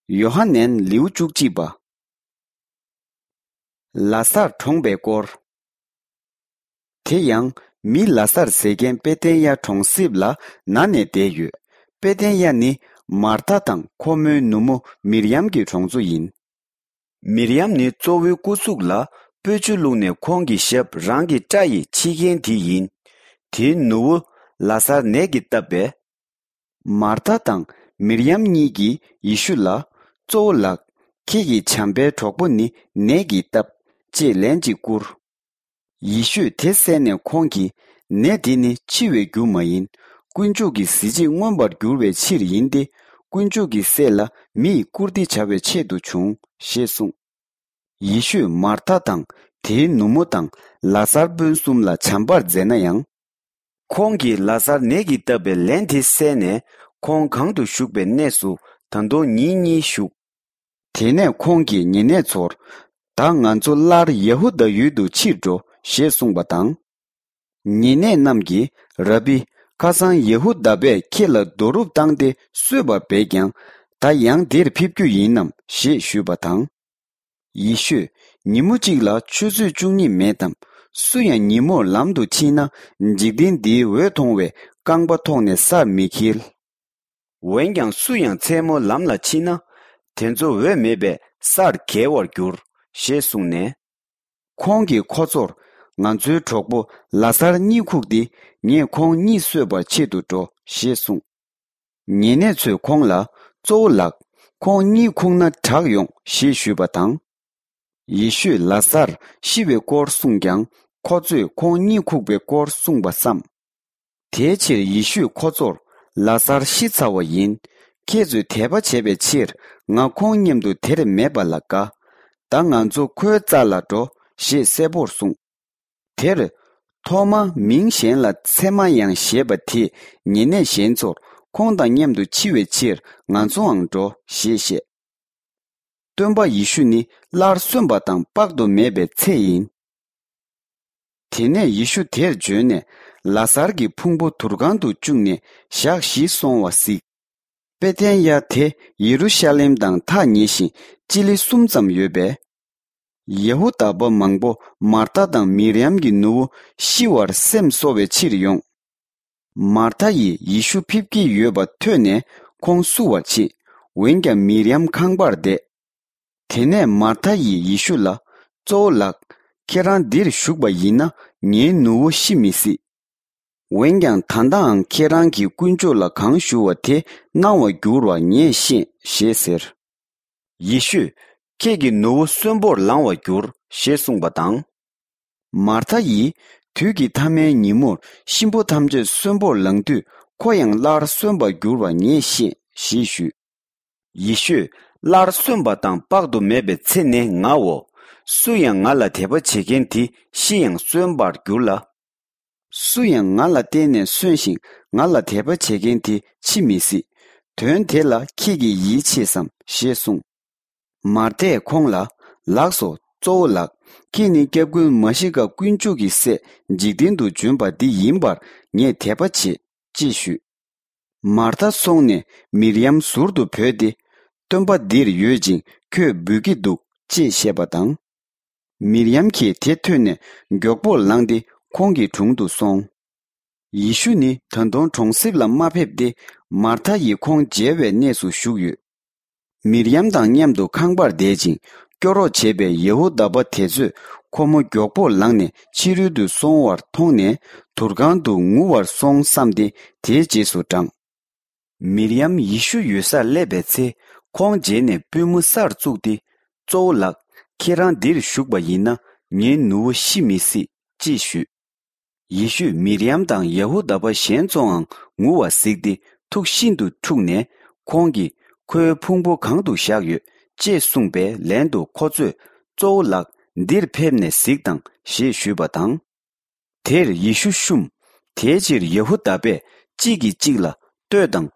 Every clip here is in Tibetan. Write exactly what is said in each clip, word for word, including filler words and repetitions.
ཡོ་ཧ་ནན་ལེའུ་བཅུ་གཅིག་པ། ལ་སར་གྲོངས་པའི་སྐོར། དེ་ཡང་མི་ལ་སར་ཟེར་མཁན་པེ་ཏན་ཡ་གྲོང་གསེབ་ལ་ན་ནས་བསྡད་ཡོད། པེ་ཏན་ཡ་ནི་མར་ཐ་དང་ཁོ་མོའི་ནུ་མོ་མིར་ཡམ་གྱི་གྲོང་ཚོ་ཡིན། མིར་ཡམ་ནི་གཙོ་བོའི་སྐུ་གཟུགས་ལ་སྤོས་ཆུ་བླུགས་ནས་ཁོང་གི་ཞབས་རང་གི་སྐྲ་ཡིས་ཕྱིས་མཁན་དེ་ཡིན། དེའི་ནུ་བོ་ལ་སར་ནད་ཀྱིས་བཏབ་པས། མར་ཐ་དང་མིར་ཡམ་གཉིས་ཀྱིས་ཡེ་ཤུ་ལ། གཙོ་བོ་ལགས། ཁྱེད་ཀྱི་བྱམས་པའི་གྲོགས་པོ་ནི་ནད་ཀྱིས་བཏབ། ཅེས་ལན་གཅིག་བསྐུར། ཡེ་ཤུས་དེ་གསན་ནས་ཁོང་གིས། ནད་འདི་ནི་འཆི་བའི་རྒྱུ་མ་ཡིན། དཀོན་མཆོག་གི་གཟི་བརྗིད་མངོན་པར་འགྱུར་བའི་ཕྱིར་ཡིན་ཏེ། དཀོན་མཆོག་གི་སྲས་ལ་མི་ཡི་བཀུར་སྟི་བྱ་བའི་ཆེད་དུ་བྱུང་། ཞེས་གསུངས། ཡེ་ཤུས་མར་ཐ་དང་དེའི་ནུ་མོ་དང་ལ་ཟར་སྤུན་གསུམ་ལ་བྱམས་པར་མཛད་ན་ཡང་། ཁོང་གིས་ལ་ཟར་ནད་ཀྱིས་བཏབ་པའི་ལན་དེ་གསན་ནས། ཁོང་གང་དུ་བཞུགས་པའི་གནས་སུ་ད་དུང་ཉིན་གཉིས་བཞུགས། དེ་ནས་ཁོང་གིས་ཉེ་གནས་ཚོར། ད་ང་ཚོ་སླར་ཡ་ཧུ་དཱ་ཡུལ་དུ་ཕྱིར་འགྲོ། ཞེས་གསུངས་པ་དང་། ཉེ་གནས་རྣམས་ཀྱིས། ར་བི། ཁ་སང་ཡ་ཧུ་དཱ་པས་ཁྱེད་ལ་རྡོ་རུབ་བཏང་སྟེ་གསོད་པ་བས་ཀྱང་། ད་ཡང་འདིར་ཕེབས་རྒྱུ་ཡིན་ནམ། ཞེས་ཞུས་པ་དང་། ཡེ་ཤུས། ཉིན་མོ་གཅིག་ལ་ཆུ་ཚོད་བཅུ་གཉིས་མེད་དམ། སུ་ཡང་ཉིན་མོར་ལམ་དུ་ཕྱིན་ན། འཇིག་རྟེན་འདིའི་འོད་མཐོང་བའི་རྐང་པ་ཐོག་ནས་སར་མི་འཁྱིལ། འོན་ཀྱང་སུ་ཡང་མཚན་མོ་ལམ་ལ་ཕྱིན་ན། དེ་ཚོ་འོད་མེད་པས་སར་འགྱེལ་བར་འགྱུར། ཞེས་གསུངས་ནས། ཁོང་གིས་ཁོ་ཚོར། ང་ཚོའི་གྲོགས་པོ་ལ་ཟར་གཉིད་ཁུག་སྟེ། ངས་ཁོང་གཉིད་གསོད་པར་ཆེད་དུ་འགྲོ། ཞེས་གསུངས། ཉེ་གནས་ཚོས་ཁོང་ལ། གཙོ་བོ་ལགས། ཁོང་གཉིད་ཁུག་ན་དྲག་ཡོང་། ཞེས་ཞུས་པ་དང་། ཡེ་ཤུས་ལ་ཟར་ཤི་བའི་སྐོར་གསུངས་ཀྱང་། ཁོ་ཚོས་ཁོང་གཉིད་ཁུག་པའི་སྐོར་གསུངས་པ་བསམ། དེའི་ཕྱིར་ཡེ་ཤུས་ཁོ་ཚོར། ལ་ཟར་ཤི་ཚར་བ་ཡིན། ཁྱེད་ཚོས་དད་པ་བྱས་པའི་ཕྱིར། ང་ཁོང་མཉམ་དུ་དེར་མེད་པ་ལ་དགའ། ད་ང་ཚོ་ཁོའི་རྩ་ལ་འགྲོ། ཞེས་གསལ་པོར་གསུངས། དེར། ཐོ་མ་མིང་གཞན་ལ་ཚེ་མ་ཡང་ཞེས་པ་དེས་ཉེ་གནས་གཞན་ཚོར། ཁོང་དང་མཉམ་དུ་འཆི་བའི་ཕྱིར་ང་ཚོའང་འགྲོ། ཞེས་བཤད། སྟོན་པ་ཡེ་ཤུ་ནི་སླར་གསོན་པ་དང་དཔག་ཏུ་མེད་པའི་ཚེ་ཡིན། དེ་ནས་ཡེ་ཤུ་དེར་བྱོན་ནས། ལ་ཟར་གྱི་ཕུང་པོ་དུར་ཁང་དུ་བཅུག་ནས་ཞག་བཞི་སོང་བ་གཟིགས། པེ་ཐན་ཡ་དེ་ཡེ་རུ་ཤ་ལེམ་དང་ཐག་ཉེ་ཞིང་སྤྱི་ལེ་གསུམ་ཙམ་ཡོད་པས། ཡ་ཧུ་དཱ་པ་མང་པོ་མར་ཐ་དང་མིར་ཡམ་གྱི་ནུ་བོ་ཤི་བར་སེམས་གསོ་བའི་ཕྱིར་ཡོང་། མར་ཐ་ཡིས་ཡེ་ཤུ་ཕེབས་ཀྱི་ཡོད་པ་ཐོས་ནས་ཁོང་བསུ་བར་ཕྱིན། འོན་ཀྱང་མིར་ཡམ་ཁང་པར་བསྡད། དེ་ནས་མར་ཐ་ཡིས་ཡེ་ཤུ་ལ། གཙོ་བོ་ལགས། ཁྱེད་རང་འདིར་བཞུགས་པ་ཡིན་ན་ངའི་ནུ་བོ་ཤི་མི་སྲིད། འོན་ཀྱང་ད་ལྟའང་ཁྱེད་རང་གིས་དཀོན་མཆོག་ལ་གང་ཞུ་བ་དེ་གནང་བར་འགྱུར་བ་ངས་ཤེས། ཞེས་ཟེར། ཡེ་ཤུས། ཁྱེད་ཀྱི་ནུ་བོ་གསོན་པོར་ལང་བར་འགྱུར། ཞེས་གསུངས་པ་དང་། མར་ཐ་ཡིས། དུས་ཀྱི་མཐའ་མའི་ཉིན་མོར་གཤིན་པོ་ཐམས་ཅད་གསོན་པོར་ལང་དུས་ཁོ་ཡང་སླར་གསོན་པར་འགྱུར་བ་ངས་ཤེས། ཞེས་ཞུས། ཡེ་ཤུས། སླར་གསོན་པ་དང་དཔག་ཏུ་མེད་པའི་ཚེ་ནི་ངའོ། སུ་ཡང་ང་ལ་དད་པ་བྱེད་མཁན་དེ་ཤི་ཡང་གསོན་པར་འགྱུར་ལ། སུ་ཡང་ང་ལ་བརྟེན་ནས་གསོན་ཞིང་ང་ལ་དད་པ་བྱེད་མཁན་དེ་འཆི་མི་སྲིད། དོན་དེ་ལ་ཁྱེད་ཀྱིས་ཡིད་ཆེས་སམ། ཞེས་གསུངས། མར་ཐས་ཁོང་ལ། ལགས་སོ། གཙོ་བོ་ལགས། ཁྱེད་ནི་སྐྱབས་མགོན་མ་ཤི་ཀ་དཀོན་མཆོག་གི་སྲས་འཇིག་རྟེན་དུ་བྱོན་པ་འདི་ཡིན་པར་ངས་དད་པ་བྱེད། ཅེས་ཞུས། མར་ཐ་སོང་ནས་མིར་ཡམ་ཟུར་དུ་བོས་ཏེ། སྟོན་པ་འདིར་ཡོད་ཅིང་ཁོས་འབོད་ཀྱི་འདུག་ཅེས་བཤད་པ་དང་། མིར་ཡམ་གྱིས་དེ་ཐོས་ནས་མགྱོགས་པོར་ལངས་ཏེ་ཁོང་གི་དྲུང་དུ་སོང་། ཡེ་ཤུ་ནི་ད་དུང་གྲོང་གསེབ་ལ་མ་ཕེབས་ཏེ་མར་ཐ་ཡིས་ཁོང་མཇལ་བའི་གནས་སུ་བཞུགས་ཡོད། མིར་ཡམ་དང་མཉམ་དུ་ཁང་པར་བསྡད་ཅིང་སྐྱོ་རོགས་བྱེད་པའི་ཡ་ཧུ་དཱ་པ་དེ་ཚོས་ཁོ་མོ་མགྱོགས་པོར་ལངས་ནས་ཕྱི་རོལ་དུ་སོང་བར་མཐོང་ནས་དུར་ཁང་དུ་ངུ་བར་སོང་བསམས་ཏེ་དེའི་རྗེས་སུ་འབྲངས། མིར་ཡམ་ཡེ་ཤུ་ཡོད་སར་སླེབས་པའི་ཚེ་ཁོང་མཇལ་ནས་པུས་མོ་སར་བཙུགས་ཏེ། གཙོ་བོ་ལགས། ཁྱེད་རང་འདིར་བཞུགས་པ་ཡིན་ན་ངའི་ནུ་བོ་ཤི་མི་སྲིད། ཅེས་ཞུས། ཡེ་ཤུས་མིར་ཡམ་དང་ཡ་ཧུ་དཱ་པ་གཞན་ཚོའང་ངུ་བ་གཟིགས་ཏེ་ཐུགས་ཤིན་ཏུ་འཁྲུགས་ནས་ཁོང་གིས་ཁོའི་ཕུང་པོ་གང་དུ་བཞག་ཡོད་ཅེས་གསུངས་པའི་ལན་དུ་ཁོ་ཚོས་གཙོ་བོ་ལགས། འདིར་ཕེབས་ནས་གཟིགས་དང་ཞེས་ཞུས་པ་དང་། དེར་ཡེ་ཤུ་བཤུམས། དེའི་ཕྱིར་ཡ་ཧུ་དཱ་པས་གཅིག་གིས་གཅིག་ལ་ལྟོས་དང་།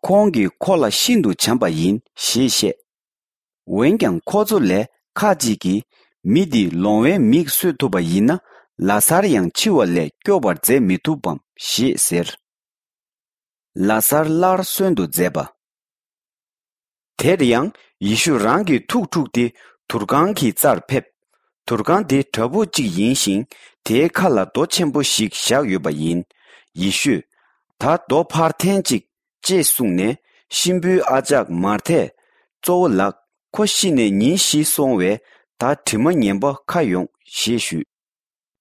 ཁོང་གིས་ཁོ་ལ་ཤིན་ཏུ་བྱམས་པ་ཡིན་ཞེས་བཤད། འོན་ཀྱང་ཁོ་ཚོ་ལས་ཁ་ཅིག་གིས་མི་འདིས་ལོང་བའི་མིག་གསོད་ཐུབ་པ་ཡིན་ན་ལ་ཟར་ཡང་འཆི་བ་ལས་སྐྱོབ་པར་མཛད་མི་ཐུབ་བམ་ཞེས་ཟེར། ལ་ཟར་སླར་གསོན་དུ་མཛད་པ། དེར་ཡང་ཡེ་ཤུ་རང་གི་ཐུགས་འཁྲུགས་ཏེ་དུར་ཁང་གི་རྩར་ཕེབས། དུར་ཁང་དེ་བྲག་ཕུག་ཅིག་ཡིན་ཞིང་། དེའི་ཁ་ལ་རྡོ་ཆེན་པོ་ཞིག་བཞག་ཡོད་པ་ཡིན། ཡེ་ཤུས། ད་རྡོ་ཕར་འཐེན་ཅིག་ཅེས་གསུངས་ནས། གཤིན་པོའི་ཨ་ཅག་མར་ཐས། གཙོ་བོ་ལགས། ཁོ་ཤི་ནས་ཉིན་བཞི་སོང་བས། ད་དྲི་མ་ངན་པ་ཁ་ཡོང་ཞེས་ཞུས།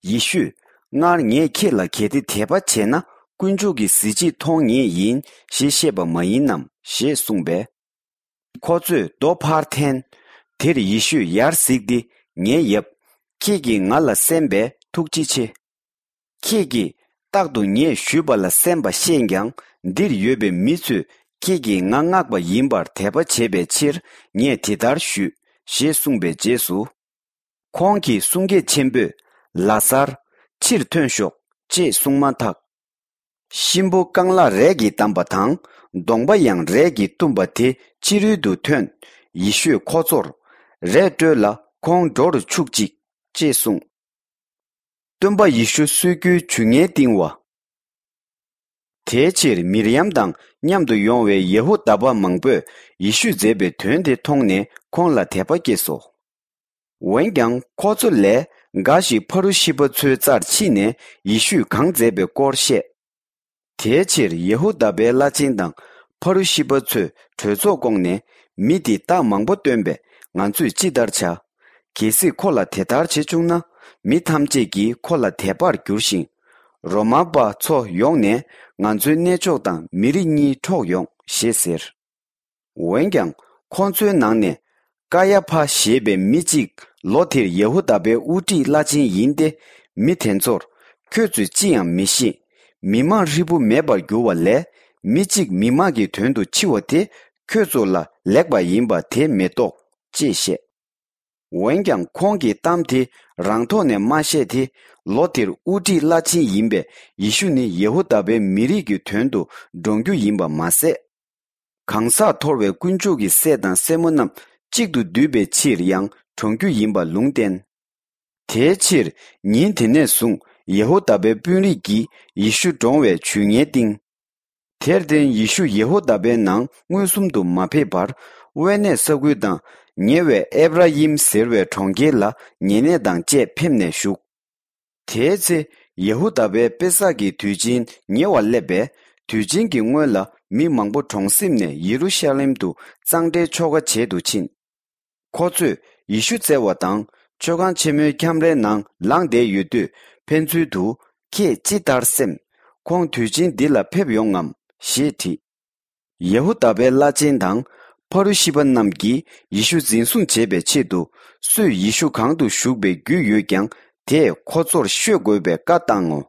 ཡེ་ཤུས། སྔར་ངས་ཁྱེད་ལ་གལ་ཏེ་དད་པ་བྱས་ན། དཀོན་མཆོག་གི་གཟི་བརྗིད་མཐོང་ངེས་ཡིན་ཞེས་བཤད་པ་མ་ཡིན་ནམ་ཞེས་གསུངས་པས། ཁོ་ཚོས་རྡོ་ཕར་འཐེན། དེར་ཡེ་ཤུས་ཡར་གཟིགས་ཏེ། ངའི་ཡབ། ཁྱེད་ཀྱིས་ང་ལ་གསན་པས་ཐུགས་རྗེ་ཆེ། ཁྱེད་ཀྱིས་རྟག་ཏུ་ངས་ཞུས་པ་ལ་གསན་པ་ཤེས་ཀྱང་། འདིར་ཡོད་པའི་མི་ཚོས་ཁྱེད་ཀྱིས་ང་མངགས་པ་ཡིན་པར་དད་པ་བྱེད་པའི་ཕྱིར། ངས་དེ་ལྟར་ཞུས་ཞེས་གསུངས་པའི་རྗེས་སུ། ཁོང་གི་གསུང་སྐད་ཆེན་པོས། ལ་ཟར། ཕྱིར་ཐོན་ཤོག་ཅེས་གསུངས་མ་ཐག་གཤིན་པོ་རྐང་ལག་རས་ཀྱིས་བསྡམས་པ་དང་། གདོང་པ་ཡང་རས་ཀྱིས་བཏུམས་པ་དེ་ཕྱི་རོལ་དུ་ཐོན། ཡེ་ཤུས་ཁོ་ཚོར། རས་བཀྲོལ་ལ་ཁོང་འགྲོ་རུ་ཆུག་ཅིག་ཅེས་གསུངས། སྟོན་པ་ཡེ་ཤུ་གསོད་རྒྱུའི་ཇུས་ངན་བཏིང་བ། དེའི་ཕྱིར་མིར་ཡམ་དང་མཉམ་དུ་ཡོང་བའི་ཡེ་ཧུ་དཱ་པ་མང་པོས་ཡེ་ཤུས་མཛད་པའི་དོན་དེ་མཐོང་ནས་ཁོང་ལ་དད་པ་སྐྱེས་སོ། འོན་ཀྱང་ཁོ་ཚོ་ལས་འགའ་ཞིག་ཕ་རུ་ཤི་པ་ཚོའི་རྩར་ཕྱིན་ནས་ཡེ་ཤུས་གང་མཛད་པའི་སྐོར་བཤད། དེའི་ཕྱིར་ཡེ་ཧུ་དཱ་པའི་བླ་ཆེན་དང་ཕ་རུ་ཤི་པ་ཚོས་གྲོས་ཚོགས་བསྐོངས་ནས། མི་འདིས་རྟགས་མང་པོ་སྟོན་པས་ང་ཚོས་ཅི་ལྟར་བྱ། གལ་སྲིད་ཁོ་ལ་དེ་ལྟར་བྱེད་བཅུག་ན། མི་ཐམས་ཅད་ཀྱིས་ཁོ་ལ་དད་པར་འགྱུར་ཞིང་། རོ་མ་པ་ཚོ་ཡོང་ནས་ང་ཚོའི་གནས་མཆོག་དང་མི་རིགས་གཉིས་འཕྲོག་ཡོང་ཞེས་ཟེར། འོན་ཀྱང་ཁོ་ཚོའི་ནང་ནས་ཀ་ཡ་ཕ་ཞེས་པའི་མི་གཅིག་ལོ་དེར་ཡེ་ཧུ་དཱ་པའི་དབུ་ཁྲིད་བླ་ཆེན་ཡིན་ཏེ། མི་དེ་ཚོར། ཁྱོད་ཚོས་ཅི་ཡང་མི་ཤེས། མི་མང་ཧྲིལ་པོ་མེད་པར་འགྱུར་བ་ལས། མི་གཅིག་མི་མང་གི་དོན་དུ་འཆི་བ་དེ་ཁྱོད་ཚོ་ལ་ལེགས་པ་ཡིན་པ་དེ་མེ་ཏོག་ཅེས་བཤད། འོན་ཀྱང་ཁོང་གིས་གཏམ་དེ་རང་ཐོག་ནས་མ་བཤད་དེ། ལོ་དེར་དབུ་ཁྲིད་བླ་ཆེན་ཡིན་པས་ཡེ་ཤུ་ནི་ཡེ་ཧུ་དཱ་པའི་མི་རིགས་ཀྱི་དོན་དུ་འགྲོངས་རྒྱུ་ཡིན་པ་མ་ཟད། གང་ཟག་འཐོར་བའི་དཀོན་མཆོག་གི་སྲས་དང་སྲས་མོ་རྣམས་གཅིག་ཏུ་འདུས་པའི་ཕྱིར་ཡང་གྲོངས་རྒྱུ་ཡིན་པ་ལུང་བསྟན། དེའི་ཕྱིར་ཉིན་དེ་ནས་བཟུང་ཡེ་ཧུ་དཱ་པའི་དཔོན་རིགས་ཀྱིས་ཡེ་ཤུ་བཀྲོངས་བའི་ཇུས་ངན་བཏིང་། དེར་བརྟེན་ཡེ་ཤུ་ཡེ་ཧུ་དཱ་པའི་ནང་མངོན་སུམ་དུ་མ་ཕེབས་པར། དབེན་གནས་ས་ཁུལ་དང་ཉེ་བའི་ཨེབ་ར་ཡིམ་ཟེར་བའི་གྲོང་ཁྱེར་ལ་ཉེ་གནས་དང་བཅས་ཕེབས་ནས་བཞུགས། དེའི་ཚེ་ཡེ་ཧུ་དཱ་པའི་པེ་སག་གི་དུས་ཆེན་ཉེ་བར་སླེབས་པས། དུས་ཆེན་གྱི་སྔོན་ལ་མི་མང་པོ་གྲོང་གསེབ་ནས་ཡེ་རུ་ཤ་ལེམ་དུ་གཙང་སྦྲའི་ཆོ་ག་བྱེད་དུ་ཕྱིན། ཁོ་ཚོས་ཡེ་ཤུ་བཙལ་བ་དང་། མཆོད་ཁང་ཆེན་མོའི་ཁྱམས་རའི་ནང་ལངས་བསྡད་ཡོད་དུས། ཕན་ཚུན་དུ། ཁྱེད་ཅི་ལྟར་སེམས། ཁོང་དུས་ཆེན་འདི་ལ་ཕེབས་ཡོང་ངམ་ཞེས་དྲིས། ཡེ་ཧུ་དཱ་པའི་བླ་ཆེན་དང་། ཕ་རུ་ཤི་པ་རྣམས་ཀྱིས་ཡེ་ཤུ་འཛིན་བཟུང་བྱེད་པའི་ཆེད་དུ། སུས་ཡེ་ཤུ་གང་དུ་བཞུགས་པའི་རྒྱུས་ཡོད་ཀྱང་། དེས་ཁོ་ཚོར་ཤོད་དགོས་པའི་བཀའ་བཏང་ངོ་